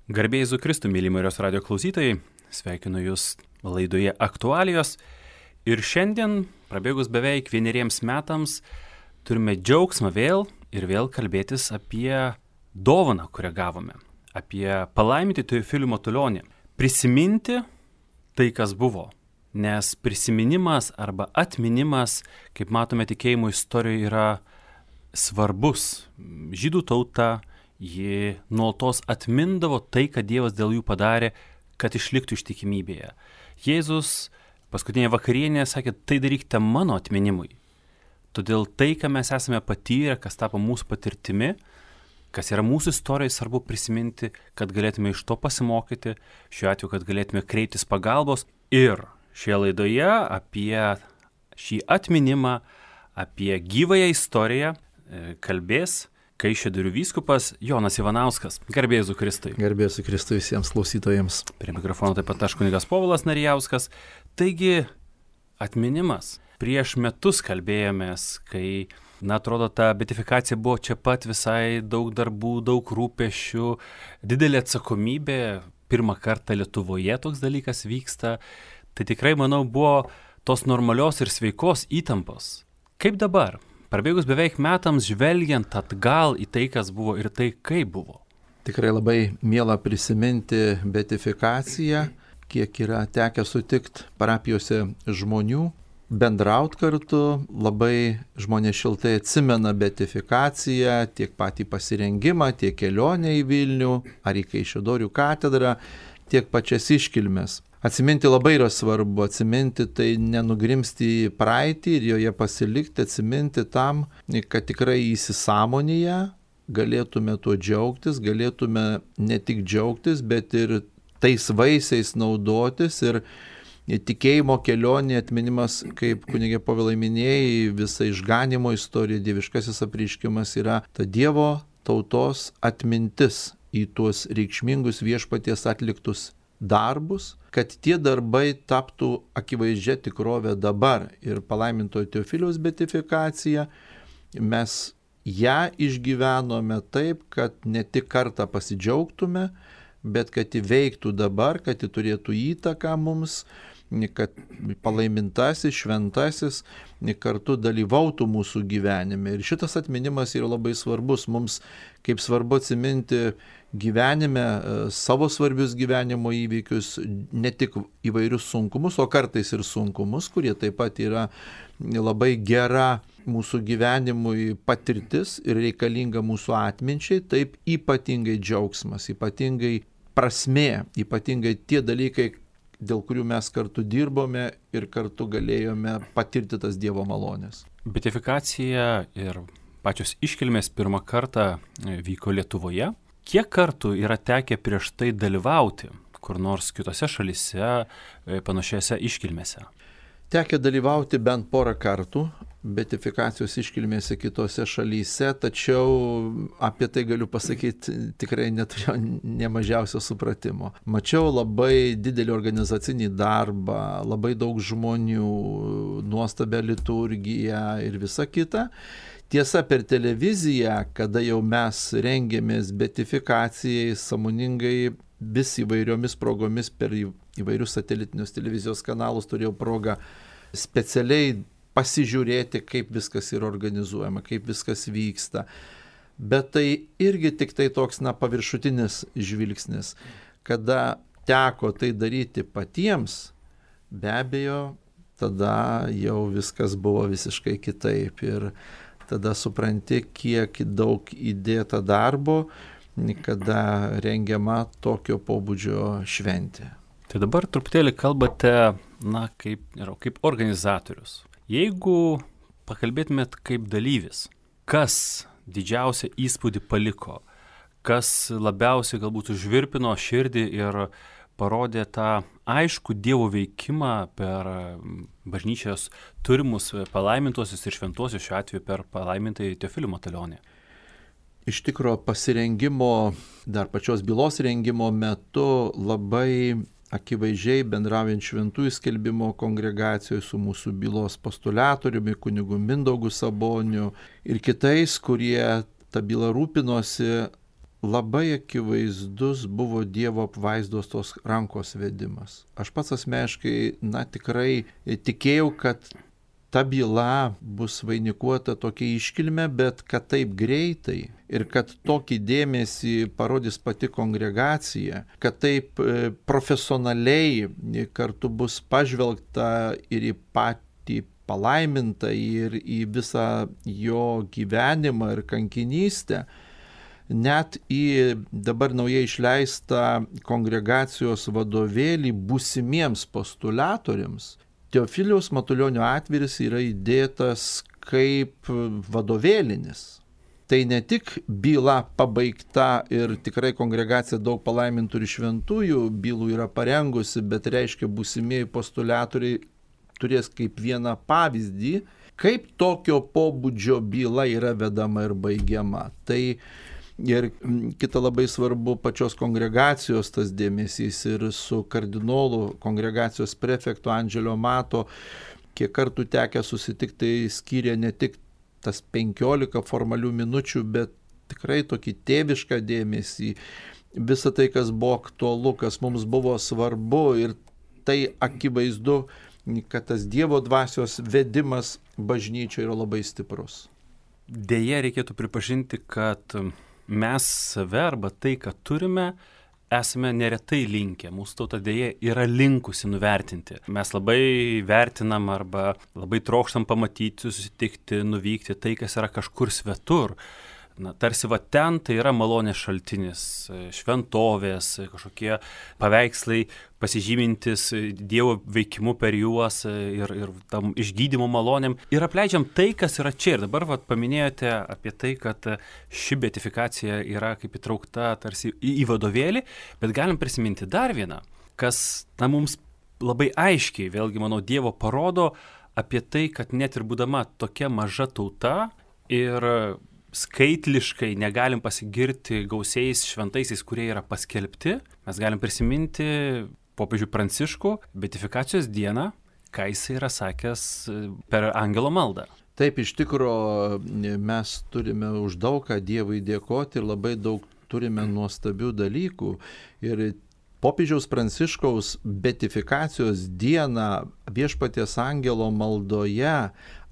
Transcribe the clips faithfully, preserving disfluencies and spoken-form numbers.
Garbė Jėzui Kristui, mėly Marijos radijo klausytojai, sveikinu Jūs laidoje Aktualijos. Ir šiandien, prabėgus beveik vieneriems metams, turime džiaugsmą vėl ir vėl kalbėtis apie dovaną, kurią gavome, apie palaimintį Teofilių Matulionį. Prisiminti tai, kas buvo, nes prisiminimas arba atminimas, kaip matome tikėjimo istorijoje, yra svarbus. Žydų tauta, ji nuolatos atmindavo tai, kad Dievas dėl jų padarė, kad išliktų ištikimybėje. Jėzus paskutinėje vakarienėje sakė, tai darykite mano atminimui. Todėl tai, ką mes esame patyrę, kas tapo mūsų patirtimi, kas yra mūsų istorijai, svarbu prisiminti, kad galėtume iš to pasimokyti, šiuo atveju, kad galėtume kreiptis pagalbos. Ir šioje laidoje apie šį atminimą, apie gyvąją istoriją kalbės Kaišiadorių vyskupas Jonas Ivanauskas. Garbė Jėzui Kristui. Garbė Jėzui Kristui visiems klausytojams. Prie mikrofono taip pat aš kunigas Povilas Narijauskas. Taigi, atminimas. Prieš metus kalbėjomės, kai, na, atrodo, ta beatifikacija buvo čia pat, visai daug darbų, daug rūpesčių, didelė atsakomybė. Pirmą kartą Lietuvoje toks dalykas vyksta. Tai tikrai, manau, buvo tos normalios ir sveikos įtampos. Kaip dabar? Prabėgus beveik metams žvelgiant atgal į tai, kas buvo ir tai, kaip buvo. Tikrai labai miela prisiminti beatifikaciją, kiek yra tekę sutikti parapijose žmonių, bendraut kartu, labai žmonės šiltai atsimena beatifikaciją, tiek patį pasirengimą, tiek kelionę į Vilnių ar į Kaišiadorių katedrą, tiek pačias iškilmes. Atsiminti labai yra svarbu, atsiminti tai nenugrimsti į praeitį ir joje pasilikti, atsiminti tam, kad tikrai įsisąmonėje galėtume tuo džiaugtis, galėtume ne tik džiaugtis, bet ir tais vaisiais naudotis ir tikėjimo kelionė atminimas, kaip kunigė Povilai minėjai, visa išganimo istorija, dieviškasis apreiškimas yra ta Dievo tautos atmintis į tuos reikšmingus viešpaties atliktus darbus, kad tie darbai taptų akivaizdžia tikrovė dabar. Ir palaimintojo Teofiliaus beatifikacija, mes ją išgyvenome taip, kad ne tik kartą pasidžiaugtume, bet kad įveiktų dabar, kad ji turėtų įtaką mums, kad palaimintasis, šventasis kartu dalyvautų mūsų gyvenime. Ir šitas atminimas yra labai svarbus. Mums kaip svarbu atsiminti gyvenime savo svarbius gyvenimo įvykius, ne tik įvairius sunkumus, o kartais ir sunkumus, kurie taip pat yra labai gera mūsų gyvenimui patirtis ir reikalinga mūsų atminčiai, taip ypatingai džiaugsmas, ypatingai prasmė, ypatingai tie dalykai, dėl kurių mes kartu dirbome ir kartu galėjome patirti tas Dievo malonės. Beatifikacija ir pačios iškilmės pirmą kartą vyko Lietuvoje. Kiek kartų yra tekę prieš tai dalyvauti kur nors kitose šalyse panašiose iškilmėse? Tekę dalyvauti bent porą kartų beatifikacijos iškilmėse kitose šalyse, tačiau apie tai galiu pasakyti, tikrai neturėjau nemažiausio supratimo. Mačiau labai didelį organizacinį darbą, labai daug žmonių, nuostabią liturgiją ir visa kita. Tiesa, per televiziją, kada jau mes rengėmės beatifikacijai, sąmoningai vis įvairiomis progomis per įvairius satelitinius televizijos kanalus turėjau progą specialiai pasižiūrėti, kaip viskas yra organizuojama, kaip viskas vyksta. Bet tai irgi tik tai toks, na, paviršutinis žvilgsnis. Kada teko tai daryti patiems, be abejo, tada jau viskas buvo visiškai kitaip. Ir tada supranti, kiek daug įdėta darbo, kada rengiama tokio pobūdžio šventė. Tai dabar truputėlį kalbate, na, kaip, kaip organizatorius. Jeigu pakalbėtumėt kaip dalyvis, kas didžiausią įspūdį paliko, kas labiausiai galbūt užvirpino širdį ir parodė tą aišku Dievo veikimą per bažnyčios turimus palaimintuosius ir šventuosius, šiuo atveju per palaimintąjį Teofilių Matulionį. Iš tikro pasirengimo, dar pačios bylos rengimo metu labai akivaizdžiai bendraujant šventųjų skelbimo kongregacijoje su mūsų bylos postuliatoriumi, kunigu Mindaugu Saboniu ir kitais, kurie tą bylą rūpinosi, labai akivaizdus buvo Dievo apvaizdos tos rankos vedimas. Aš pats asmeniškai, na tikrai tikėjau, kad ta byla bus vainikuota tokia iškilme, bet kad taip greitai ir kad tokį dėmesį parodys pati kongregacija, kad taip profesionaliai kartu bus pažvelgta ir į patį palaimintą, ir į visą jo gyvenimą ir kankinystę, net į dabar naujai išleistą kongregacijos vadovėlį būsimiems postulatoriams, Teofiliaus Matulionio atviris yra įdėtas kaip vadovėlinis. Tai ne tik byla pabaigta ir tikrai kongregacija daug palaimintų ir šventųjų bylų yra parengusi, bet reiškia būsimieji postulatoriai turės kaip vieną pavyzdį, kaip tokio pobūdžio byla yra vedama ir baigiama. Tai ir kita labai svarbu pačios kongregacijos tas dėmesys ir su kardinolu kongregacijos prefektu Andželio Mato, kiek kartų tekę susitikti, tai skyrė ne tik tas penkiolika formalių minučių, bet tikrai tokį tėvišką dėmesį, visą tai, kas buvo aktualu, kas mums buvo svarbu, ir tai akivaizdu, kad tas Dievo dvasios vedimas bažnyčioje yra labai stiprus. Deja, reikėtų pripažinti, kad mes save arba tai, ką turime, esame neretai linkę. Mūsų tauta deja yra linkusi nuvertinti. Mes labai vertinam arba labai trokštam pamatyti, susitikti, nuvykti tai, kas yra kažkur svetur. Na, tarsi va ten tai yra malonės šaltinis, šventovės, kažkokie paveikslai pasižymintis Dievo veikimu per juos ir, ir tam išgydymo malonėm. Ir apleidžiam tai, kas yra čia. Ir dabar va, paminėjote apie tai, kad ši beatifikacija yra kaip įtraukta tarsi į, į vadovėlį, bet galim prisiminti dar vieną, kas na, mums labai aiškiai, vėlgi manau, Dievo parodo apie tai, kad net ir būdama tokia maža tauta ir skaitliškai negalim pasigirti gausiais šventaisiais, kurie yra paskelbti. Mes galim prisiminti popiežių Pranciškų beatifikacijos dieną, ką jis yra sakęs per angelo maldą. Taip, iš tikro mes turime už daug ką Dievui dėkoti ir labai daug turime nuostabių dalykų. Ir popiežiaus Pranciškaus beatifikacijos dieną Viešpaties angelo maldoje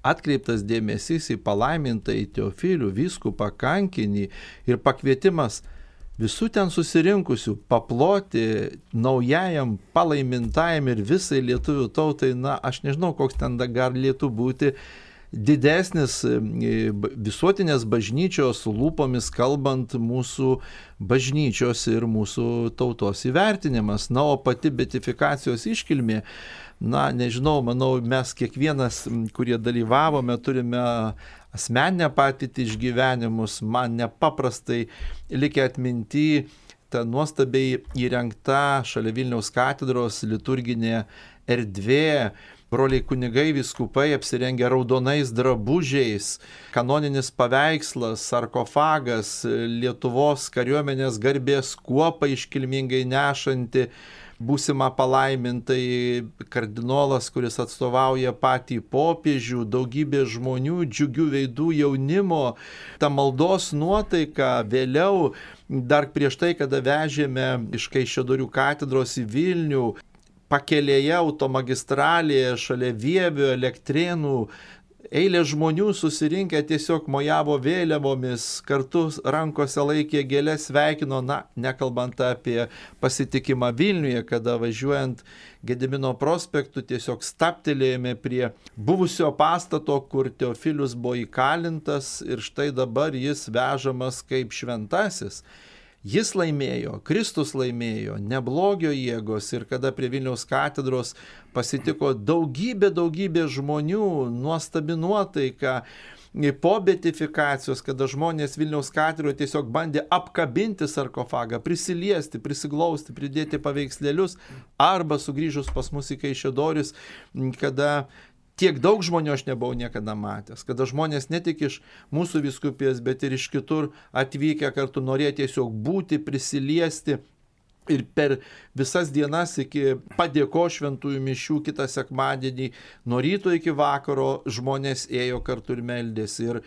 atkreiptas dėmesys į palaimintąjį Teofilių vyskupą kankinį ir pakvietimas visų ten susirinkusių paploti naujajam palaimintajam ir visai lietuvių tautai. Na, aš nežinau, koks ten galėtų būti didesnis visuotinės bažnyčios lūpomis kalbant mūsų bažnyčios ir mūsų tautos įvertinimas. Na, o pati beatifikacijos iškilmė, na, nežinau, manau, mes kiekvienas, kurie dalyvavome, turime asmeninę patirtį išgyvenimus. Man nepaprastai likę atminti ta nuostabiai įrengta šalia Vilniaus katedros liturginė erdvė. Broliai kunigai vyskupai apsirengę raudonais drabužiais, kanoninis paveikslas, sarkofagas, Lietuvos kariuomenės garbės kuopą iškilmingai nešanti būsimą palaimintai, kardinolas, kuris atstovauja patį popiežių, daugybė žmonių, džiugių veidų, jaunimo, ta maldos nuotaika. Vėliau, dar prieš tai, kada vežėme iš Kaišiadorių katedros į Vilnių, pakelėje automagistralėje šalia Vievio, Elektrėnų, eilė žmonių susirinkę tiesiog mojavo vėliavomis, kartu rankose laikė gėlės, sveikino, na, nekalbant apie pasitikimą Vilniuje, kada važiuojant Gedimino prospektu tiesiog staptelėjome prie buvusio pastato, kur Teofilius buvo įkalintas, ir štai dabar jis vežamas kaip šventasis. Jis laimėjo, Kristus laimėjo, ne blogio jėgos, ir kada prie Vilniaus katedros pasitiko daugybė, daugybė žmonių, nuostabi nuotaika po beatifikacijos, kada žmonės Vilniaus katedroje tiesiog bandė apkabinti sarkofagą, prisiliesti, prisiglausti, pridėti paveikslėlius, arba sugrįžus pas mus į Kaišiadorius, kada tiek daug žmonių aš nebuvau niekada matęs, kada žmonės ne tik iš mūsų vyskupijos, bet ir iš kitur atvykę kartu norėjo tiesiog būti, prisiliesti. Ir per visas dienas iki padėko šventųjų mišių kitą sekmadienį, nuo ryto iki vakaro žmonės ėjo kartu ir meldėsi. Ir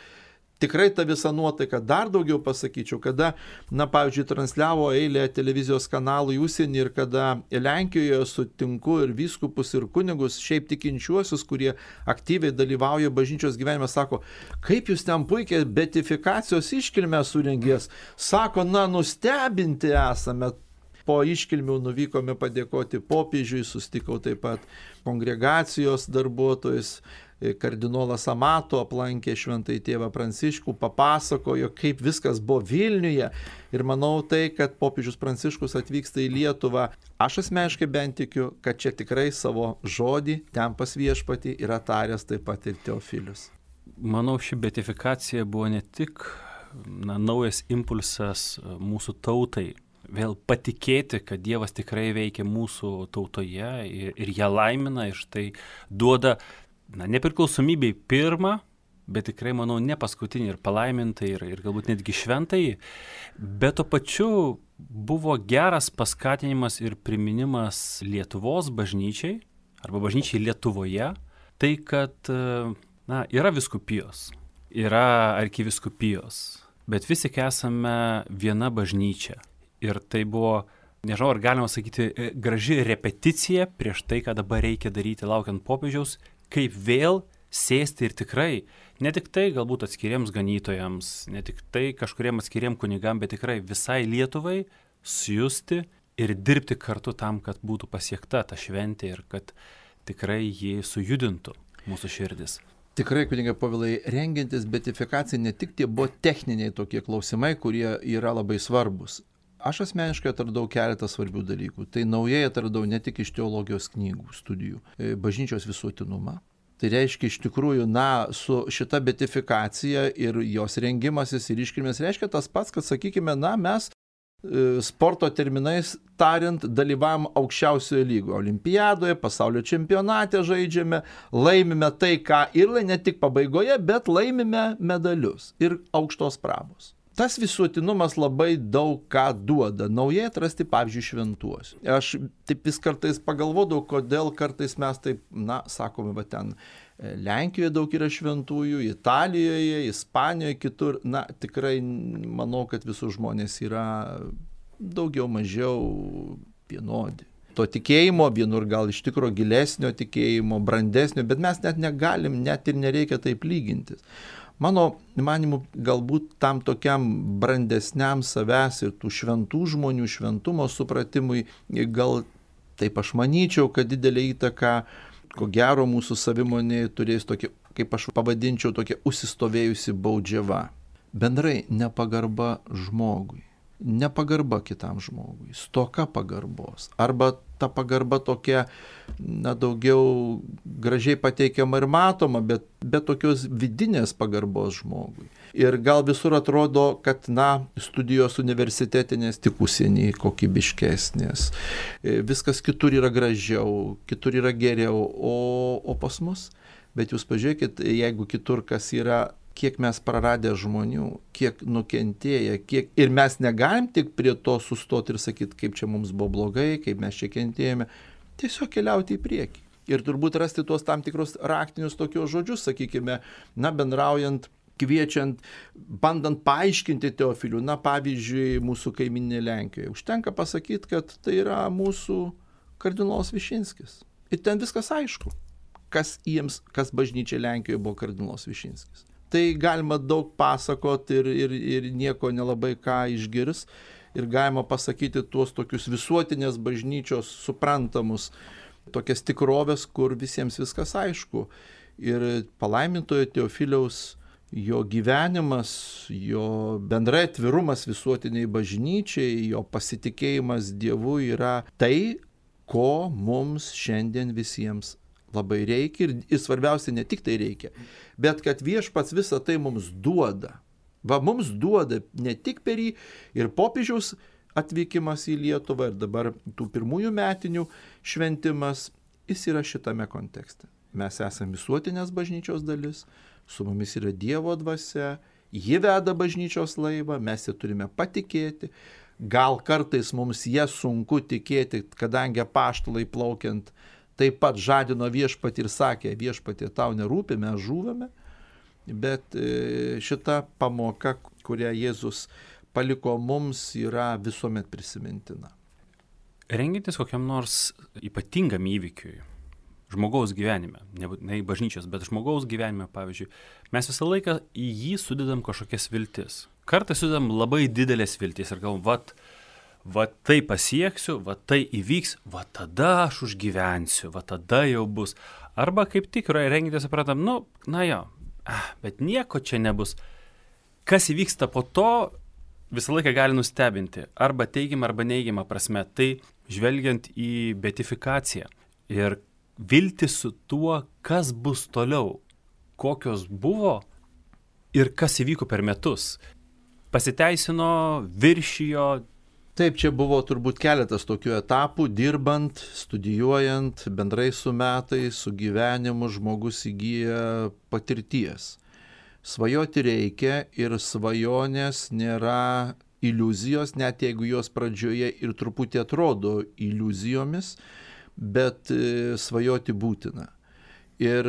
tikrai ta visa nuotaika, dar daugiau pasakyčiau, kada, na, pavyzdžiui, transliavo eilę televizijos kanalų į užsienį ir kada Lenkijoje sutinku ir vyskupus, ir kunigus, šiaip tikinčiuosius, kurie aktyviai dalyvauja bažnyčios gyvenime, sako, kaip jūs ten puikiai beatifikacijos iškilmę surengės, sako, na, nustebinti esame. Po iškilmių nuvykome padėkoti popiežiui, sustikau taip pat kongregacijos darbuotojus, kardinolas Amato aplankė šventąjį tėvą Pranciškų, papasakojo, kaip viskas buvo Vilniuje ir manau tai, kad popiežius Pranciškus atvyksta į Lietuvą, aš asmeniškai bent tikiu, kad čia tikrai savo žodį ten pas viešpatį yra taręs taip pat ir Teofilius. Manau, ši beatifikacija buvo ne tik na, naujas impulsas mūsų tautai, vėl patikėti, kad Dievas tikrai veikia mūsų tautoje ir, ir ją laimina ir štai duoda na, nepriklausomybei pirmą, bet tikrai, manau, ne paskutinį ir palaimintą ir, ir galbūt netgi šventąjį, bet to pačiu buvo geras paskatinimas ir priminimas Lietuvos bažnyčiai arba bažnyčiai Lietuvoje, tai kad na, yra vyskupijos, yra arkivyskupijos, bet vis tik esame viena bažnyčia. Ir tai buvo, nežinau, ar galima sakyti, graži repeticija prieš tai, ką dabar reikia daryti laukiant popiežiaus, kaip vėl sėsti ir tikrai, ne tik tai galbūt atskiriems ganytojams, ne tik tai kažkuriem atskiriem kunigam, bet tikrai visai Lietuvai sujusti ir dirbti kartu tam, kad būtų pasiekta ta šventė ir kad tikrai jį sujudintų mūsų širdis. Tikrai, kunigai Povilai, rengiantis beatifikacijai ne tik tie buvo techniniai tokie klausimai, kurie yra labai svarbus. Aš asmeniškai atradau keletą svarbių dalykų. Tai naujai atradau ne tik iš teologijos knygų studijų, bažnyčios visuotinumą. Tai reiškia iš tikrųjų, na, su šita beatifikacija ir jos rengimasis ir iškilmės reiškia tas pats, kad, sakykime, na, mes sporto terminais tariant dalyvavom aukščiausioje lygoje. Olimpiadoje, pasaulio čempionate žaidžiame, laimime tai, ką ir ne tik pabaigoje, bet laimime medalius ir aukštos prabos. Tas visuotinumas labai daug ką duoda. Naujai atrasti, pavyzdžiui, šventuosius. Aš taip vis kartais pagalvodavau, kodėl kartais mes taip, na, sakome, va ten Lenkijoje daug yra šventųjų, Italijoje, Ispanijoje, kitur. Na, tikrai manau, kad visų žmonės yra daugiau mažiau vienodi. To tikėjimo, vienur gal iš tikro gilesnio tikėjimo, brandesnio, bet mes net negalim, net ir nereikia taip lygintis. Mano manimu, galbūt tam tokiam brandesniam savęs ir tų šventų žmonių šventumo supratimui, gal taip aš manyčiau, kad didelė įtaka, ko gero mūsų savimonėje turės tokia, kaip aš pavadinčiau, tokia užsistovėjusi baudžiava. Bendrai nepagarba žmogui, nepagarba kitam žmogui, stoka pagarbos, arba ta pagarba tokia, na, daugiau gražiai pateikiama ir matoma, bet be tokios vidinės pagarbos žmogui. Ir gal visur atrodo, kad, na, studijos universitetinės tik užsieny kokybiškesnės, viskas kitur yra gražiau, kitur yra geriau, o, o pas mus, bet jūs pažiūrėkit, jeigu kitur kas yra, kiek mes praradę žmonių, kiek nukentėję, kiek ir mes negalim tik prie to sustoti ir sakyti, kaip čia mums buvo blogai, kaip mes čia kentėjome, tiesiog keliauti į priekį. Ir turbūt rasti tuos tam tikrus raktinius tokios žodžius, sakykime, na, bendraujant, kviečiant, bandant paaiškinti Teofilių, na, pavyzdžiui, mūsų kaimyninė Lenkijoje. Užtenka pasakyti, kad tai yra mūsų kardinolas Višinskis. Ir ten viskas aišku, kas jiems, kas bažnyčia Lenkijoje buvo kardinolas Višinskis. Tai galima daug pasakoti ir, ir, ir nieko nelabai ką išgirs. Ir galima pasakyti tuos tokius visuotinės bažnyčios suprantamus, tokias tikrovės, kur visiems viskas aišku. Ir palaimintojo Teofiliaus jo gyvenimas, jo bendrai atvirumas visuotiniai bažnyčiai, jo pasitikėjimas Dievu yra tai, ko mums šiandien visiems labai reikia ir, ir svarbiausia ne tik tai reikia, bet kad viešpats visą tai mums duoda. Va, mums duoda ne tik per jį ir popiežiaus atvykimas į Lietuvą ir dabar tų pirmųjų metinių šventimas, jis yra šitame kontekste. Mes esame visuotinės bažnyčios dalis, su mumis yra Dievo dvasia, ji veda bažnyčios laivą, mes ją turime patikėti. Gal kartais mums ją sunku tikėti, kadangi apaštalai plaukiant taip pat žadino viešpatį ir sakė, viešpatį tau nerūpi, mes žūvame. bet šita pamoka, kurią Jėzus paliko mums, yra visuomet prisimintina. Rengintis kokiam nors ypatingam įvykiui, žmogaus gyvenime, nebūtinai bažnyčios, bet žmogaus gyvenime, pavyzdžiui, mes visą laiką į jį sudedam kažkokias viltis. Kartais sudedam labai didelės viltis ir galvom, vat, va tai pasieksiu, va tai įvyks, va tada aš užgyvensiu, va tada jau bus. Arba kaip tik yra rengintis, supratam, nu, na jo, bet nieko čia nebus. Kas įvyksta po to, visą laiką gali nustebinti, arba teigiamą, arba neigiamą prasme. Tai žvelgiant į beatifikaciją ir viltis su tuo, kas bus toliau, kokios buvo ir kas įvyko per metus. Pasiteisino, viršijo. Taip, čia buvo turbūt keletas tokių etapų, dirbant, studijuojant, bendrai su metais, su gyvenimu žmogus įgyja patirties. Svajoti reikia ir svajonės nėra iliuzijos, net jeigu jos pradžioje ir truputį atrodo iliuzijomis, bet svajoti būtina. Ir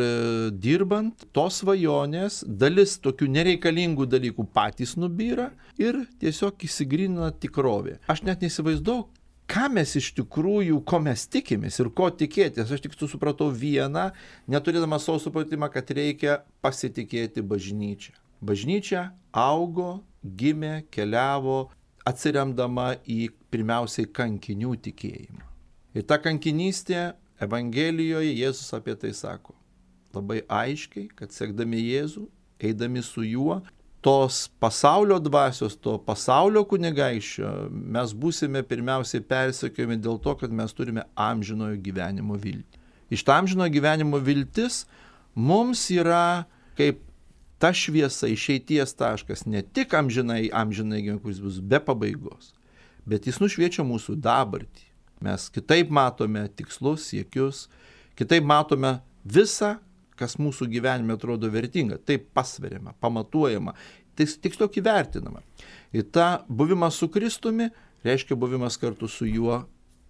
dirbant, tos svajonės, dalis tokių nereikalingų dalykų patys nubyra ir tiesiog įsigrynina tikrovė. Aš net neįsivaizduoju, ką mes iš tikrųjų, ko mes tikimės ir ko tikėtis. Aš tik supratau vieną, neturėdamas savo supratimą, kad reikia pasitikėti bažnyčią. Bažnyčia augo, gimė, keliavo, atsiremdama į pirmiausiai kankinių tikėjimą. Ir ta kankinystė Evangelijoje Jėzus apie tai sako. Labai aiškiai, kad sekdami Jėzų, eidami su juo, tos pasaulio dvasios, to pasaulio kunigaikščio, mes būsime pirmiausiai persekiojami dėl to, kad mes turime amžinojo gyvenimo viltį. Iš to amžinojo gyvenimo viltis mums yra kaip ta šviesa, išeities taškas, ne tik amžinai, amžinai gyvenimo, kuris bus be pabaigos, bet jis nušviečia mūsų dabartį. Mes kitaip matome tikslus, siekius, kitaip matome visą, kas mūsų gyvenime atrodo vertinga. Taip pasveriama, pamatuojama, tiksliau įvertinama. Ir ta buvimas su Kristumi reiškia buvimas kartu su juo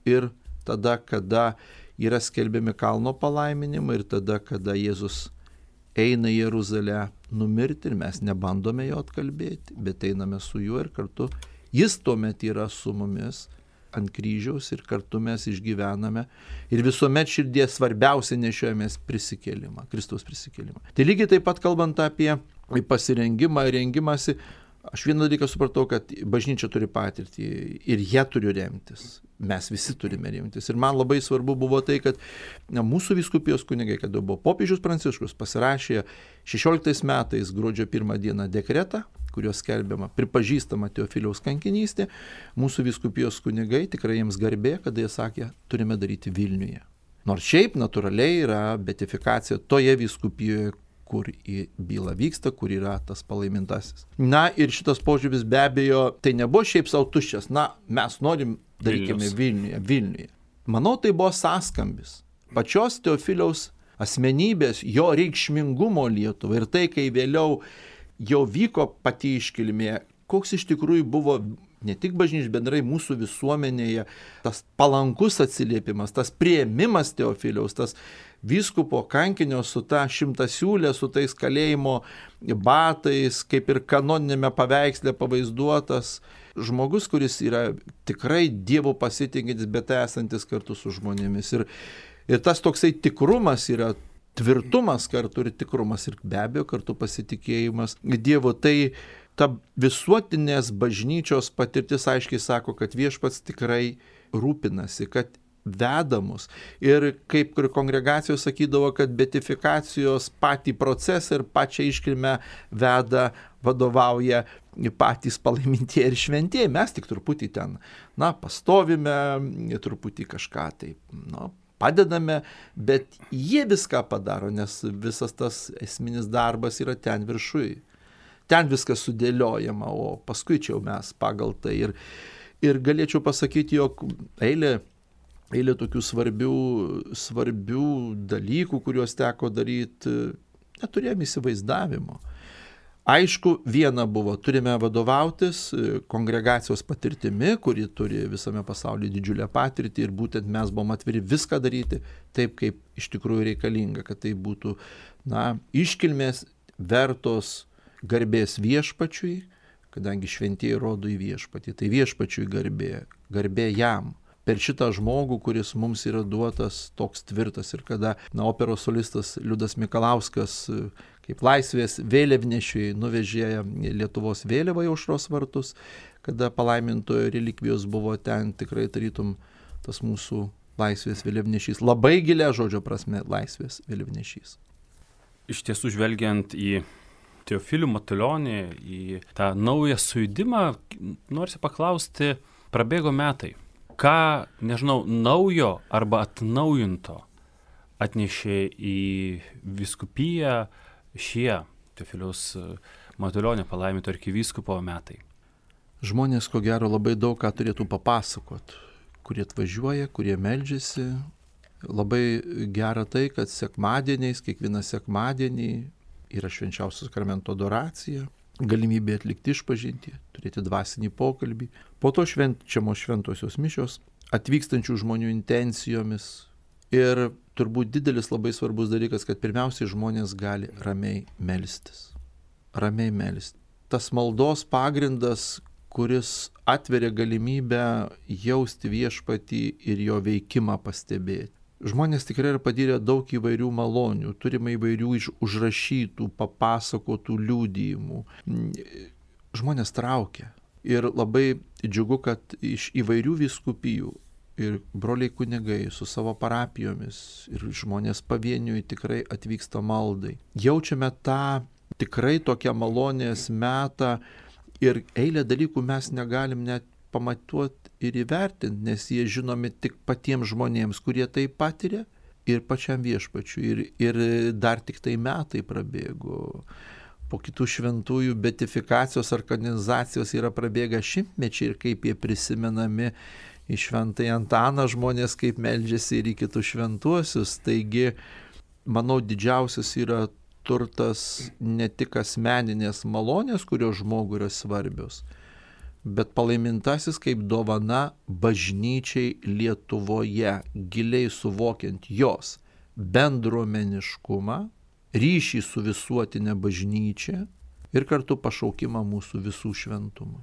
ir tada, kada yra skelbiami kalno palaiminimai ir tada, kada Jėzus eina į Jeruzalę numirti ir mes nebandome jo atkalbėti, bet einame su juo ir kartu jis tuomet yra su mumis ant kryžiaus ir kartu mes išgyvename ir visuomet širdies svarbiausia nešiojamės prisikėlimą, Kristaus prisikėlimą. Tai lygiai taip pat kalbant apie pasirengimą ir rengimąsi, aš vieną dalyką supratau, kad bažnyčia turi patirtį ir jie turi remtis. Mes visi turime remtis. Ir man labai svarbu buvo tai, kad na, mūsų vyskupijos kunigai, kada buvo popiežius Pranciškus, pasirašė šešioliktais metais gruodžio pirmą dieną dekretą, kurios skelbiama, pripažįstama Teofiliaus kankinystė, mūsų vyskupijos kunigai, tikrai jiems garbė, kada jie sakė, turime daryti Vilniuje. Nors šiaip natūraliai yra beatifikacija toje vyskupijoje, kur į bylą vyksta, kur yra tas palaimintasis. Na ir šitas požiūris be abejo, tai nebuvo šiaip savo tuščias, na mes norim darykime Vilniuje, Vilniuje. Manau, tai buvo sąskambis. Pačios Teofiliaus asmenybės, jo reikšmingumo Lietuvai ir tai, kai vėliau jau vyko pati iškilmė, koks iš tikrųjų buvo ne tik bažnyčios bendrai mūsų visuomenėje, tas palankus atsiliepimas, tas priėmimas Teofiliaus, tas vyskupo kankinio su ta šimtasiūlė, su tais kalėjimo batais, kaip ir kanoninėme paveiksle pavaizduotas žmogus, kuris yra tikrai Dievo pasitikintis, bet esantis kartu su žmonėmis. Ir, ir tas toksai tikrumas yra tvirtumas kartu ir tikrumas ir be abejo kartu pasitikėjimas Dievu. Tai ta visuotinės bažnyčios patirtis aiškiai sako, kad viešpats tikrai rūpinasi, kad veda mus. Ir kaip ir kongregacijos sakydavo, kad beatifikacijos patį procesą ir pačią iškilmę veda, vadovauja patys palaimintieji ir šventieji. Mes tik truputį ten, na, pastovime, truputį kažką taip, na, padedame, bet jie viską padaro, nes visas tas esminis darbas yra ten viršui. Ten viskas sudėliojama, o paskui čia jau mes pagal tai. Ir, ir galėčiau pasakyti, jog eilė, eilė tokių svarbių, svarbių dalykų, kuriuos teko daryti, neturėjome įsivaizdavimo. Aišku, viena buvo, turime vadovautis kongregacijos patirtimi, kuri turi visame pasaulyje didžiulę patirtį ir būtent mes buvom atviri viską daryti taip, kaip iš tikrųjų reikalinga, kad tai būtų, na, iškilmės vertos garbės viešpačiui, kadangi šventieji rodo į viešpatį, tai viešpačiui garbė, garbė jam. Per šitą žmogų, kuris mums yra duotas toks tvirtas ir kada na, operos solistas Liudas Mikalauskas kaip laisvės vėliavnešiui nuvežė Lietuvos vėliavą į Aušros vartus, kada palaimintojo relikvijos buvo ten, tikrai tarytum tas mūsų laisvės vėliavnešys, labai gilia žodžio prasme laisvės vėliavnešys. Iš tiesų, žvelgiant į Teofilių Matulionį, į tą naują sujudimą, norisi paklausti, prabėgo metai. Ką, nežinau, naujo arba atnaujinto atnešė į vyskupiją šie Teofiliaus Matulionio palaiminto arkivyskupo metai? Žmonės, ko gero, labai daug ką turėtų papasakot, kurie atvažiuoja, kurie meldžiasi. Labai gera tai, kad sekmadieniais, kiekvieną sekmadienį yra švenčiausio sakramento adoracija, galimybė atlikti išpažintį, turėti dvasinį pokalbį. Po to švenčiamos šventosios mišios, atvykstančių žmonių intencijomis. Ir turbūt didelis labai svarbus dalykas, kad pirmiausiai žmonės gali ramiai melstis. Ramiai melstis. Tas maldos pagrindas, kuris atveria galimybę jausti viešpatį ir jo veikimą pastebėti. Žmonės tikrai yra patyrę daug įvairių malonių, turime įvairių užrašytų, papasakotų liudijimų. Žmonės traukia. Ir labai džiugu, kad iš įvairių vyskupijų ir broliai kunigai su savo parapijomis ir žmonės pavieniui tikrai atvyksta maldai. Jaučiame tą tikrai tokią malonės metą ir eilę dalykų mes negalim net pamatuoti ir įvertinti, nes jie žinomi tik patiems žmonėms, kurie tai patiria ir pačiam viešpačiui. Ir, ir dar tik tai metai prabėgo. Po kitų šventųjų beatifikacijos organizacijos yra prabėgę šimtmečiai ir kaip jie prisimenami į Šventąjį Antaną žmonės, kaip meldžiasi ir į kitus šventuosius. Taigi, manau, didžiausias yra turtas ne tik asmeninės malonės, kurios žmogui yra svarbios, bet palaimintasis kaip dovana bažnyčiai Lietuvoje, giliai suvokiant jos bendruomeniškumą, ryšį su visuotinė bažnyčia ir kartu pašaukimą mūsų visų šventumui.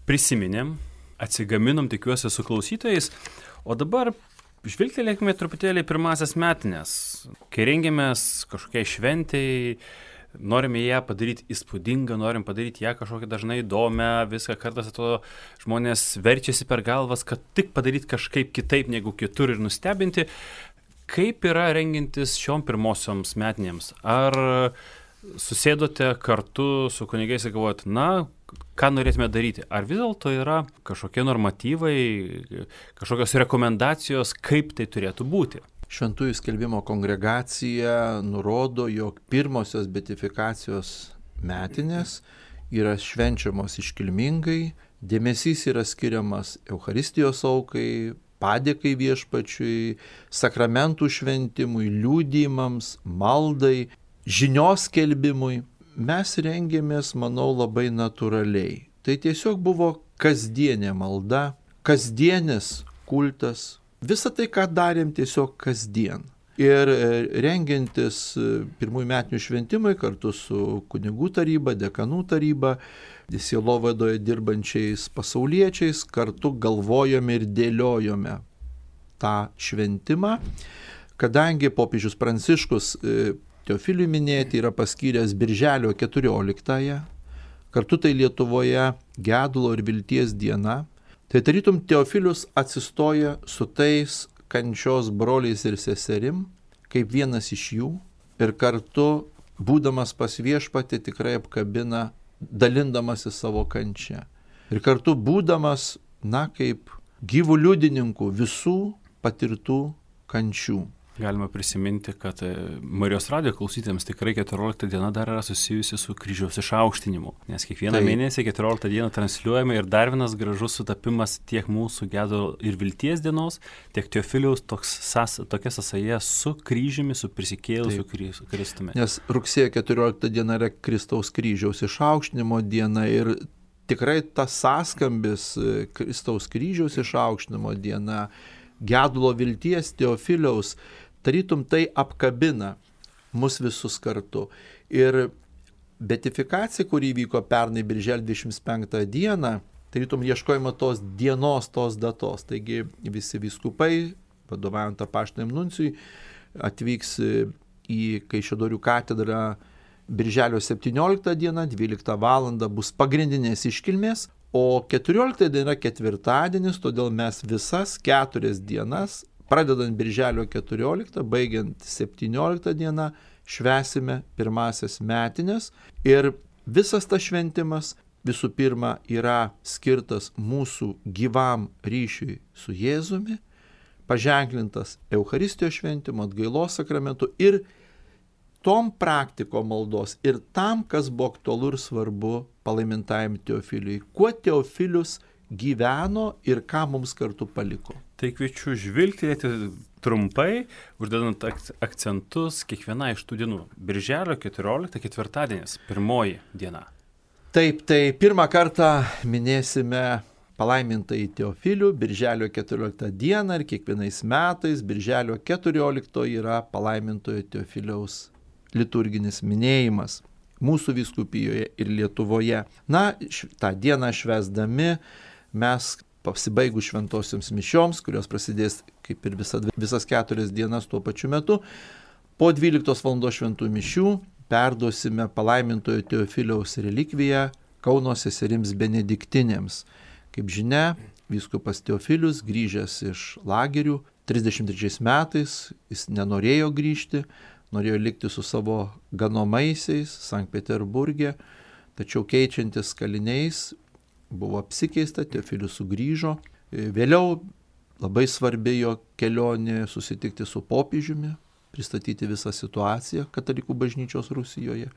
Prisiminėm, atsigaminom, tikiuosi, su klausytojais, o dabar žvilgtelėkime truputėlį pirmasias metinės. Kai rengiamės kažkokiai šventei, norime ją padaryti įspūdingą, norim padaryti ją kažkokią dažnai įdomią, viską kartais atrodo žmonės verčiasi per galvas, kad tik padaryti kažkaip kitaip negu kitur ir nustebinti. Kaip yra rengintis šiom pirmosioms metinėms? Ar susėdote kartu su kunigais ir galvojat, na, ką norėtume daryti? Ar vis dėlto yra kažkokie normatyvai, kažkokios rekomendacijos, kaip tai turėtų būti? Šventųjų skelbimo kongregacija nurodo, jog pirmosios beatifikacijos metinės yra švenčiamos iškilmingai, dėmesys yra skiriamas Eucharistijos aukai, padėkai viešpačiui, sakramentų šventimui, liudijimams, maldai, žinios skelbimui. Mes rengėmės, manau, labai natūraliai. Tai tiesiog buvo kasdienė malda, kasdienis kultas. Visą tai, ką darėm tiesiog kasdien. Ir rengiantis pirmųjų metinių šventimai kartu su kunigų taryba, dekanų taryba, sielovadoje dirbančiais pasauliečiais, kartu galvojome ir dėliojome tą šventimą, kadangi popiežius Pranciškus Teofiliui minėti yra paskyręs birželio keturioliktąją, kartu tai Lietuvoje gedulo ir vilties diena. Tai tarytum Teofilius atsistoja su tais kančios broliais ir seserim, kaip vienas iš jų, ir kartu, būdamas pas viešpatį, tikrai apkabina, dalindamasi savo kančią. Ir kartu būdamas, na, kaip gyvų liudininkų visų patirtų kančių. Galima prisiminti, kad Marijos radijo klausytėms tikrai keturiolikta diena dar yra susijusi su kryžiaus išaukštinimu, nes kiekvieną tai mėnesį keturioliktą dieną transliuojame ir dar vienas gražus sutapimas tiek mūsų gedulo ir vilties dienos, tiek Teofiliaus toks sas, tokia sąsaja su kryžiumi, su prisikėlusiu Kristumi. Nes rugsėjo keturiolikta diena yra Kristaus kryžiaus išaukštinimo diena ir tikrai tas sąskambis Kristaus kryžiaus išaukštinimo diena, gedulo vilties Teofiliaus, tarytum tai apkabina mus visus kartu. Ir beatifikacija, kuri vyko pernai birželio dvidešimt penktą dieną, tarytum ieškojama tos dienos, tos datos. Taigi visi vyskupai, vadovaujant apaštiniam nuncijui, atvyks į Kaišiadorių katedrą birželio septynioliktą dieną, dvyliktą valandą bus pagrindinės iškilmės, o keturioliktą diena ketvirtadienis, todėl mes visas keturias dienas, pradedant birželio keturioliktą, baigiant septynioliktą dieną, švęsime pirmasias metines ir visas tas šventimas visų pirma yra skirtas mūsų gyvam ryšiui su Jėzumi, paženklintas Eucharistijos šventimu, atgailos sakramentu ir tom praktiko maldos ir tam, kas buvo aktualu ir svarbu palaimintajam Teofiliui. Kuo Teofilius gyveno ir ką mums kartu paliko. Tai kviečiu žvilgtelėti trumpai, uždedant akcentus kiekvieną iš tų dienų. Birželio keturiolikta ketvirtadienis, pirmoji diena. Taip, tai pirmą kartą minėsime palaimintąjį Teofilių birželio keturioliktą dieną ir kiekvienais metais birželio keturiolikto yra palaimintojo Teofiliaus liturginis minėjimas mūsų vyskupijoje ir Lietuvoje. Na, tą dieną švęsdami mes pasibaigus šventosioms mišioms, kurios prasidės kaip ir visa, visas keturias dienas tuo pačiu metu, po dvyliktos valandos šventų mišių perduosime palaimintojo Teofiliaus relikviją Kauno seserims benediktinėms. Kaip žinia, vyskupas Teofilius grįžęs iš lagerių trisdešimt trečiais metais, jis nenorėjo grįžti, norėjo likti su savo ganomaisiais Sankt Peterburge, tačiau keičiantis kaliniais buvo apsikeista, Teofilius sugrįžo. Vėliau labai svarbi jo kelionė susitikti su popiežiumi, pristatyti visą situaciją katalikų bažnyčios Rusijoje.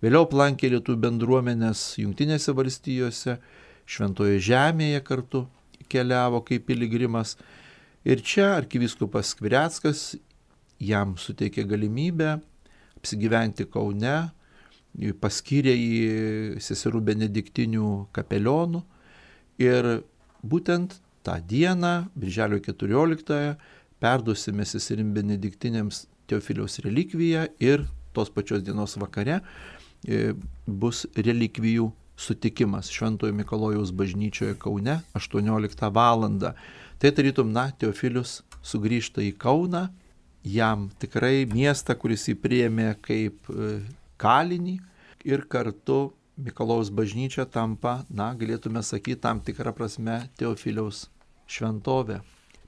Vėliau aplankė lietuvių bendruomenės Jungtinėse valstijose, Šventoje žemėje kartu keliavo kaip piligrimas. Ir čia arkivyskupas Skvireckas jam suteikė galimybę apsigyventi Kaune, paskyrė į seserų benediktinių kapelionų ir būtent tą dieną, birželio keturioliktąją, perduosime seserim benediktinėms Teofiliaus relikviją ir tos pačios dienos vakare bus relikvijų sutikimas Šventojo Mikalojaus bažnyčioje Kaune aštuonioliktą valandą. Tai tarytum, na, Teofilius sugrįžta į Kauną, jam tikrai miestą, kuris jį priėmė kaip kalinį ir kartu Mikalojaus bažnyčia tampa, na, galėtume sakyti, tam tikrą prasme Teofiliaus šventovė.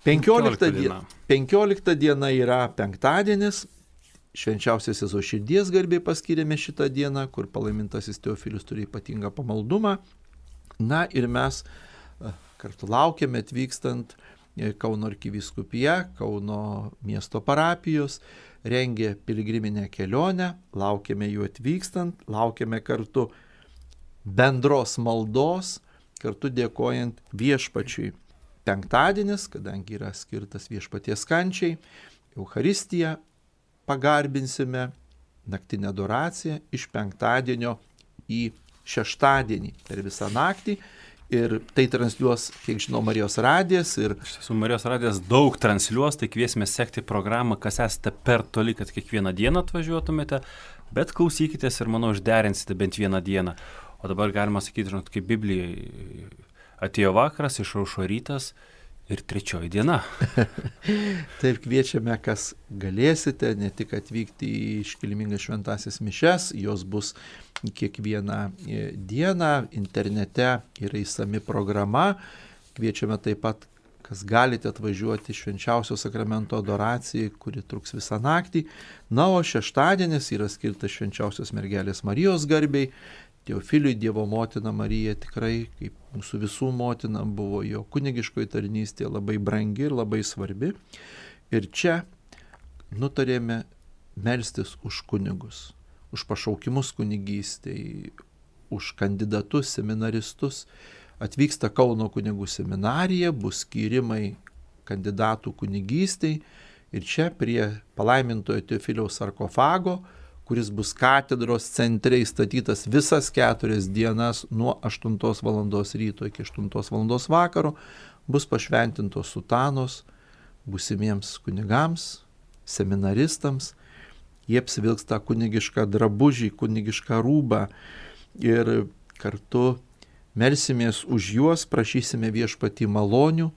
penkiolikta diena. penkiolikta diena yra penktadienis, švenčiausios Jėzaus širdies garbei paskyrėme šitą dieną, kur palaimintasis Teofilius turi ypatingą pamaldumą. Na ir mes kartu laukiame atvykstant Kauno arkivyskupija, Kauno miesto parapijos, rengė piligriminę kelionę, laukiame jų atvykstant, laukiame kartu bendros maldos, kartu dėkojant viešpačiui. Penktadienis, kadangi yra skirtas viešpaties kančiai, Eucharistiją pagarbinsime, naktinę adoraciją iš penktadienio į šeštadienį per visą naktį. Ir tai transliuos, kiek žinau, Marijos radijas. Ir... Iš tiesų, Marijos radijas daug transliuos, tai kviesime sekti programą, kas esate per toli, kad kiekvieną dieną atvažiuotumėte, bet klausykitės ir, manau, išderinsite bent vieną dieną. O dabar galima sakyti, žinot, kaip Biblijai atėjo vakaras, išaušo rytas ir trečioji diena. Taip, kviečiame, kas galėsite, ne tik atvykti į iškilmingas šventąsias mišias, jos bus kiekvieną dieną, internete yra įsami programa. Kviečiame taip pat, kas galite atvažiuoti švenčiausio sakramento adoracijai, kuri truks visą naktį. Na, o šeštadienis yra skirtas švenčiausios mergelės Marijos garbei. Teofiliui Dievo motina Marija tikrai, kaip mūsų visų motina, buvo jo kunigiškoji tarnystė labai brangi ir labai svarbi. Ir čia nutarėme melstis už kunigus, už pašaukimus kunigystei, už kandidatus, seminaristus. Atvyksta Kauno kunigų seminarija, bus skyrimai kandidatų kunigystei. Ir čia prie palaimintojo Teofiliaus sarkofago, kuris bus katedros centre įstatytas visas keturias dienas nuo aštuntos valandos ryto iki aštuntos valandos vakaro, bus pašventintos sutanos būsimiems kunigams, seminaristams jie apsivilks tą kunigišką drabužį, kunigišką rūbą ir kartu melsimės už juos, prašysime Viešpatį malonių.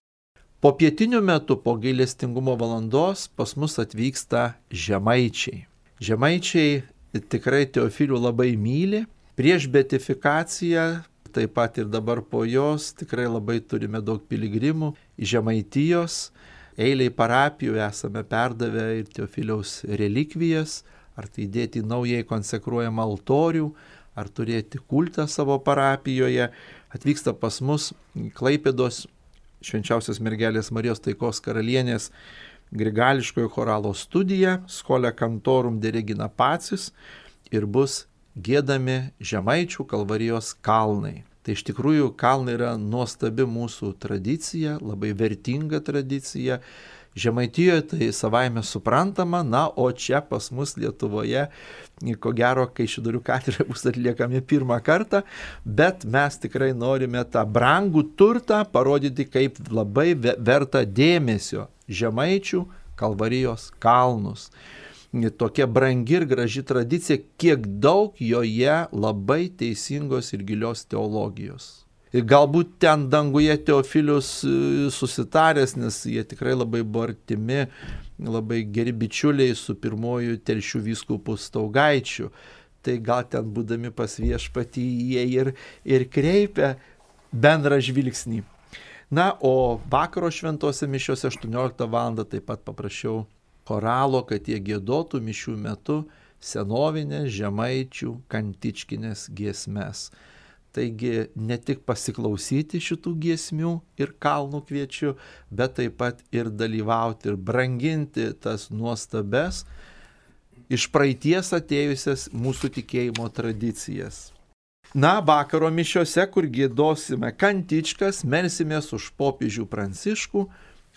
Po pietinių metų, po gailestingumo valandos pas mus atvyksta žemaičiai. Žemaičiai tikrai Teofilių labai myli. Prieš beatifikaciją, taip pat ir dabar po jos, tikrai labai turime daug piligrimų iš Žemaitijos. Eiliai parapijų esame perdavę ir Teofiliaus relikvijas, ar tai dėti naujai konsekruojamą altorių, ar turėti kultą savo parapijoje. Atvyksta pas mus Klaipėdos Švenčiausios mergelės Marijos Taikos karalienės grigališkojo choralo studija Schole Cantorum de Regina Pacis ir bus giedami Žemaičių Kalvarijos kalnai. Tai iš tikrųjų kalnai yra nuostabi mūsų tradicija, labai vertinga tradicija. Žemaitijoje tai savaime suprantama, na, o čia pas mus Lietuvoje, ko gero, Kaišiadorių katedroje bus atliekami pirmą kartą, bet mes tikrai norime tą brangų turtą parodyti kaip labai vertą dėmesio Žemaičių Kalvarijos kalnus. Tokia brangi ir graži tradicija, kiek daug joje labai teisingos ir gilios teologijos. Ir galbūt ten danguje Teofilius susitaręs, nes jie tikrai labai buvo artimi, labai geri bičiuliai su pirmoju Telšių vyskupu Staugaičiu. Tai gal ten būdami pas Viešpatį jie ir, ir kreipia bendrą žvilgsnį. Na, o vakaro šventose mišiose aštuonioliktą valandą taip pat paprašiau choralo, kad jie giedotų mišių metu senovinės žemaičių kantičkinės giesmes. Taigi ne tik pasiklausyti šitų giesmių ir kalnų kviečiu, bet taip pat ir dalyvauti ir branginti tas nuostabes iš praeities atėjusias mūsų tikėjimo tradicijas. Na, vakaro mišiose, kur giedosime kantičkas, melsimės už popiežių Pranciškų,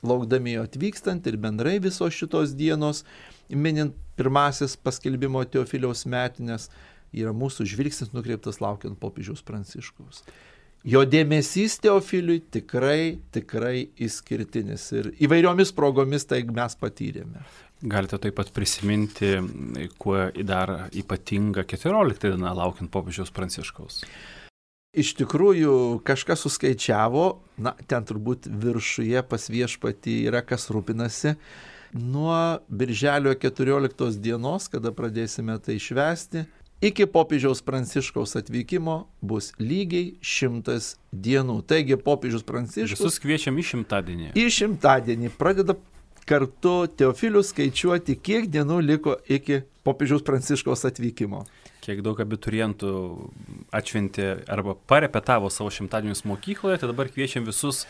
laukdami jo atvykstant ir bendrai visos šitos dienos, minint pirmasis paskelbimo Teofiliaus metinės, yra mūsų žvilgsnis nukreiptas laukiant popiežiaus Pranciškaus. Jo dėmesys Teofiliui tikrai, tikrai išskirtinis ir įvairiomis progomis tai mes patyrėme. Galite taip pat prisiminti, kuo dar ypatinga keturiolikta diena laukiant popiežiaus Pranciškaus. Iš tikrųjų, kažkas suskaičiavo, na, ten turbūt viršuje pas Viešpatį yra kas rūpinasi, nuo birželio keturioliktos dienos, kada pradėsime tai švęsti, iki popiežiaus Pranciškaus atvykimo bus lygiai šimtas dienų. Taigi popiežius Pranciškus... Visus kviečiam į šimtadienį. Į šimtadienį pradeda kartu Teofilius skaičiuoti, kiek dienų liko iki popiežiaus Pranciškaus atvykimo. Kiek daug abiturientų atšventė arba parepetavo savo šimtadienius mokykloje, tai dabar kviečiam visus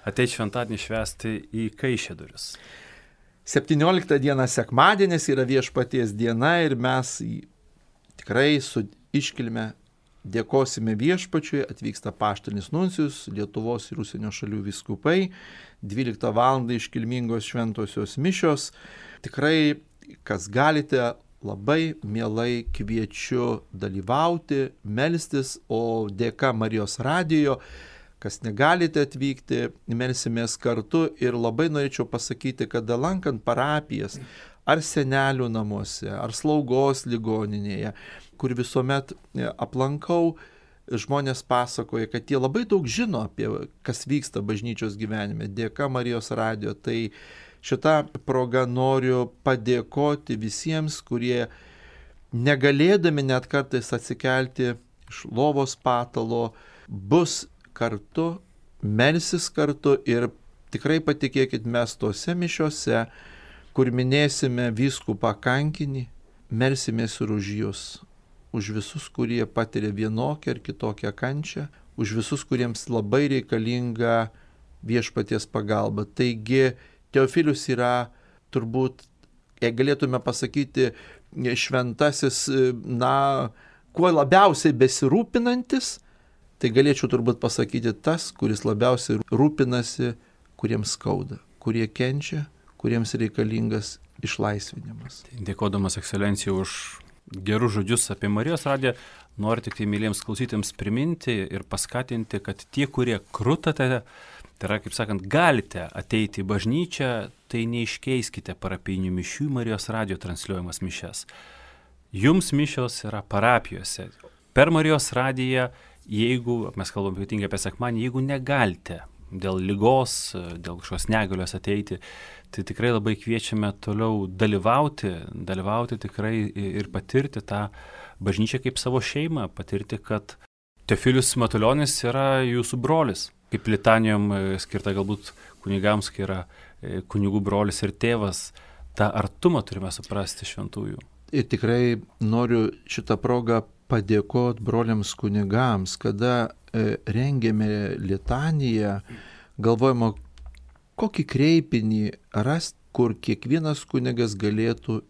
ateiti šventadienį švęsti į Kaišiadorius. septynioliktą dieną sekmadienis yra Viešpaties diena ir mes tikrai su iškilme dėkosime Viešpačiui, atvyksta apaštalinis nuncijus, Lietuvos ir užsienio šalių vyskupai, dvyliktą valandą iškilmingos šventosios mišios. Tikrai, kas galite, labai mielai kviečiu dalyvauti, melstis, o dėka Marijos radijo, kas negalite atvykti, melsimės kartu ir labai norėčiau pasakyti, kad lankant parapijas, ar senelių namuose, ar slaugos ligoninėje, kur visuomet aplankau, žmonės pasakoja, kad jie labai daug žino apie kas vyksta bažnyčios gyvenime, dėka Marijos radijo. Tai šitą progą noriu padėkoti visiems, kurie negalėdami net kartais atsikelti iš lovos patalo, bus kartu, melsis kartu ir tikrai patikėkit, mes tose mišiose, kur minėsime vyskupą kankinį, melsimės ir už jūs, už visus, kurie patiria vienokią ar kitokią kančią, už visus, kuriems labai reikalinga Viešpaties pagalba. Taigi Teofilius yra turbūt, jei galėtume pasakyti, šventasis, na, kuo labiausiai besirūpinantis, tai galėčiau turbūt pasakyti tas, kuris labiausiai rūpinasi, kuriems skauda, kurie kenčia, kuriems reikalingas išlaisvinimas. Dėkodamas ekscelencijai už gerus žodžius apie Marijos radiją, noriu tik tai myliems klausytėms priminti ir paskatinti, kad tie, kurie krutate, tai yra, kaip sakant, galite ateiti į bažnyčią, tai neiškeiskite parapijinių mišių į Marijos radijo transliuojamas mišias. Jums mišios yra parapijose. Per Marijos radiją, jeigu, mes kalbam ypatingai apie sekmadienį, jeigu negalite dėl ligos, dėl kažkokios negalios ateiti, tai tikrai labai kviečiame toliau dalyvauti, dalyvauti tikrai ir patirti tą bažnyčią kaip savo šeimą, patirti, kad Teofilius Matulionis yra jūsų brolis, kaip litanijom skirta galbūt kunigams, kai yra kunigų brolis ir tėvas, tą artumą turime suprasti šventųjų. Ir tikrai noriu šitą progą padėkoti broliams kunigams, kada e, rengėme litaniją, galvojama, kokį kreipinį rast, kur kiekvienas kunigas galėtų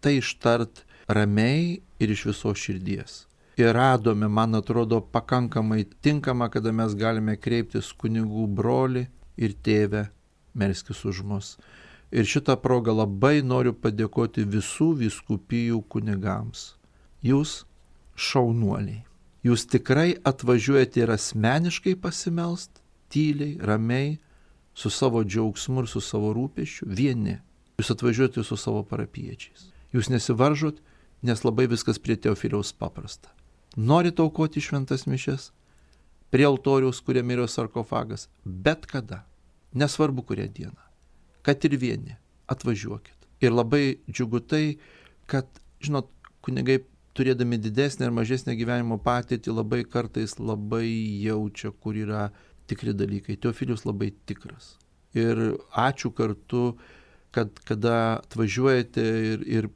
tai ištart ramiai ir iš visos širdies. Ir radome, man atrodo, pakankamai tinkama, kada mes galime kreiptis kunigų broli ir tėvę, melskis už mus. Ir šitą progą labai noriu padėkoti visų vyskupijų kunigams. Jūs šaunuoliai. Jūs tikrai atvažiuojate ir asmeniškai pasimelst, tyliai, ramiai, su savo džiaugsmu ir su savo rūpesčiu, vieni. Jūs atvažiuojate su savo parapiečiais. Jūs nesivaržot, nes labai viskas prie Teofiliaus paprasta. Norite aukoti šventas mišias, prie altoriaus, kuriame yra sarkofagas, bet kada, nesvarbu kurią dieną. Kad ir vieni, atvažiuokit. Ir labai džiugu tai, kad, žinot, kunigai turėdami didesnę ir mažesnę gyvenimo patirtį labai kartais labai jaučia, kur yra tikri dalykai. Teofilius labai tikras. Ir ačiū kartu, kad kada atvažiuojate ir, ir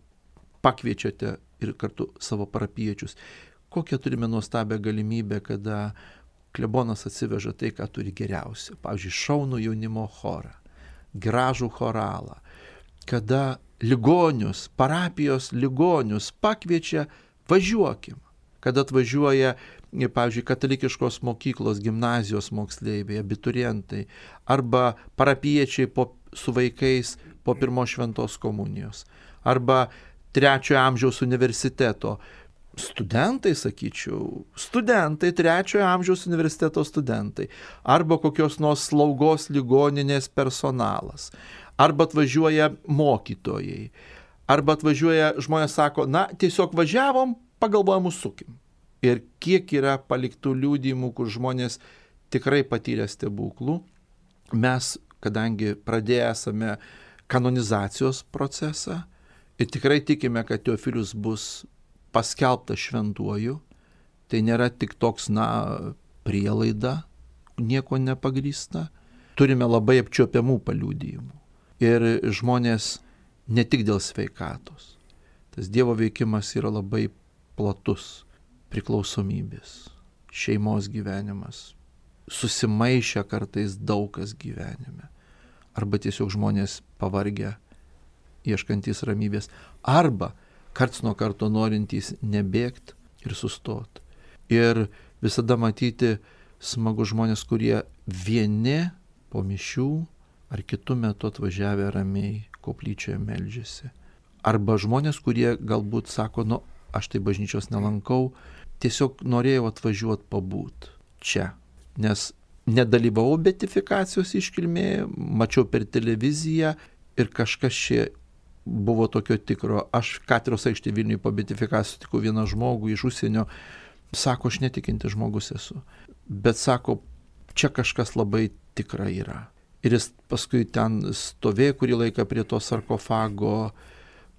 pakviečiate ir kartu savo parapiečius. Kokią turime nuostabią galimybę, kada klebonas atsiveža tai, ką turi geriausia. Pavyzdžiui, šaunų jaunimo chorą, gražų choralą, kada ligonius, parapijos ligonius pakviečia, važiuokim. Kada atvažiuoja, pavyzdžiui, katalikiškos mokyklos, gimnazijos moksleiviai, abiturientai, arba parapiečiai po, su vaikais po pirmos šventos komunijos, arba trečiojo amžiaus universiteto studentai, sakyčiau, studentai, trečiojo amžiaus universiteto studentai, arba kokios nors slaugos ligoninės personalas, arba atvažiuoja mokytojai, arba atvažiuoja žmonės sako, na, tiesiog važiavom, pagalvojom, užsukim. Ir kiek yra paliktų liudijimų, kur žmonės tikrai patyrė stebuklų, mes, kadangi pradėję esame kanonizacijos procesą ir tikrai tikime, kad Teofilius bus paskelbtas šventuoju, tai nėra tik toks, na, prielaida, nieko nepagrįsta. Turime labai apčiuopiamų paliudijimų. Ir žmonės ne tik dėl sveikatos. Tas Dievo veikimas yra labai platus. Priklausomybės, šeimos gyvenimas, susimaišę kartais daug kas gyvenime. Arba tiesiog žmonės pavargę, ieškantys ramybės. Arba karts nuo karto norintys nebėgti ir sustoti. Ir visada matyti smagu žmonės, kurie vieni po mišių ar kitų metų atvažiavę ramiai koplyčioje meldžiasi. Arba žmonės, kurie galbūt sako, nu, aš tai bažnyčios nelankau, tiesiog norėjau atvažiuoti pabūt čia. Nes nedalyvavau beatifikacijos iškilmėje, mačiau per televiziją ir kažkas čia buvo tokio tikro. Aš Katedros aikštėje Vilniuje po beatifikacijos sutikau vieną žmogų iš užsienio, sako, aš netikintis žmogus esu. Bet sako, čia kažkas labai tikra yra. Ir jis paskui ten stovėjo kurį laiką prie to sarkofago,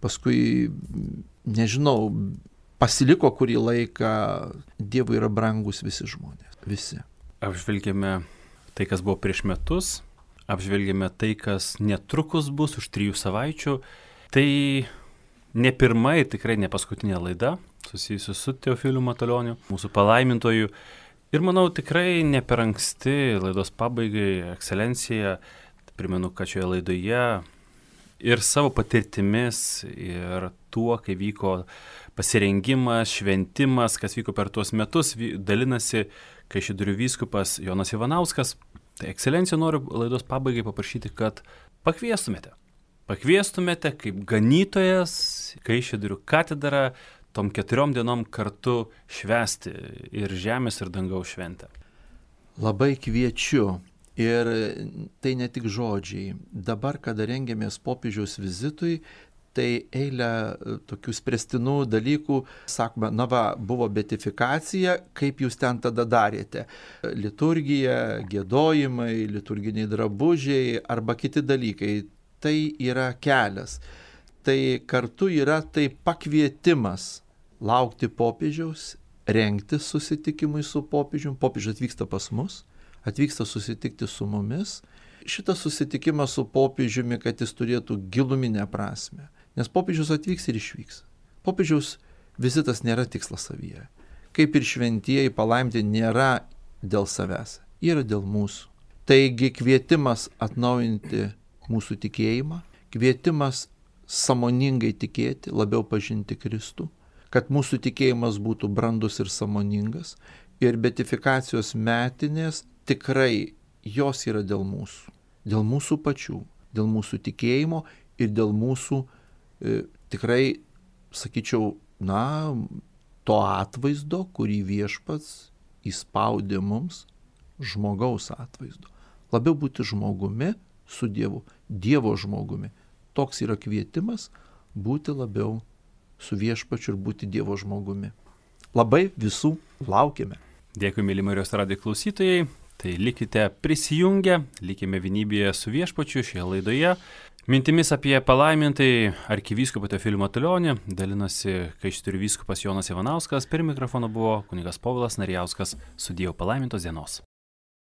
paskui, nežinau, pasiliko kurį laiką. Dievui yra brangus visi žmonės, visi. Apžvelgėme tai, kas buvo prieš metus, apžvelgėme tai, kas netrukus bus už trijų savaičių. Tai ne pirma ir tikrai ne paskutinė laida susijusi su Teofiliu Matulioniu, mūsų palaimintoju. Ir manau, tikrai ne per anksti laidos pabaigai, ekscelencija, primenu, kad šioje laidoje ir savo patirtimis, ir tuo, kai vyko pasirengimas, šventimas, kas vyko per tuos metus, dalinasi Kaišiadorių vyskupas Jonas Ivanauskas. Tai ekscelencija, noriu laidos pabaigai paprašyti, kad pakviestumėte. Pakviestumėte kaip ganytojas Kaišiadorių katedrą tom keturiom dienom kartu švęsti ir žemės ir dangaus šventę. Labai kviečiu Ir tai ne tik žodžiai. Dabar, kada rengiamės popiežiaus vizitui, tai eilę tokių spręstinų dalykų, sakome, na va, buvo beatifikacija, kaip jūs ten tada darėte. Liturgija, giedojimai, liturginiai drabužiai arba kiti dalykai. Tai yra kelias. Tai kartu yra tai pakvietimas laukti popiežiaus, rengtis susitikimui su popiežiumi. Popiežius atvyksta pas mus, atvyksta susitikti su mumis. Šitas susitikimas su popiežiumi, kad jis turėtų giluminę prasme. Nes popiežius atvyks ir išvyks. Popiežiaus vizitas nėra tikslas savyje. Kaip ir šventieji palaiminti nėra dėl savęs, yra dėl mūsų. Taigi kvietimas atnaujinti mūsų tikėjimą, kvietimas sąmoningai tikėti, labiau pažinti Kristų, kad mūsų tikėjimas būtų brandus ir sąmoningas. Ir beatifikacijos metinės tikrai jos yra dėl mūsų, dėl mūsų pačių, dėl mūsų tikėjimo ir dėl mūsų e, tikrai, sakyčiau, na, to atvaizdo, kurį viešpats įspaudė mums, žmogaus atvaizdo. Labiau būti žmogumi su Dievu, Dievo žmogumi. Toks yra kvietimas būti labiau su viešpačiu ir būti Dievo žmogumi. Labai visų laukiame. Dėkui, mėly Marijos radijo klausytojai. Tai likite prisijungę, likime vienybėje su viešpačiu šioje laidoje. Mintimis apie palaimintai arkivyskupą Teofilį Matulionį dalinosi Kaišiadorių vyskupas Jonas Ivanauskas. Per mikrofoną buvo kunigas Povilas Narijauskas. Su Dievu palaimintos dienos.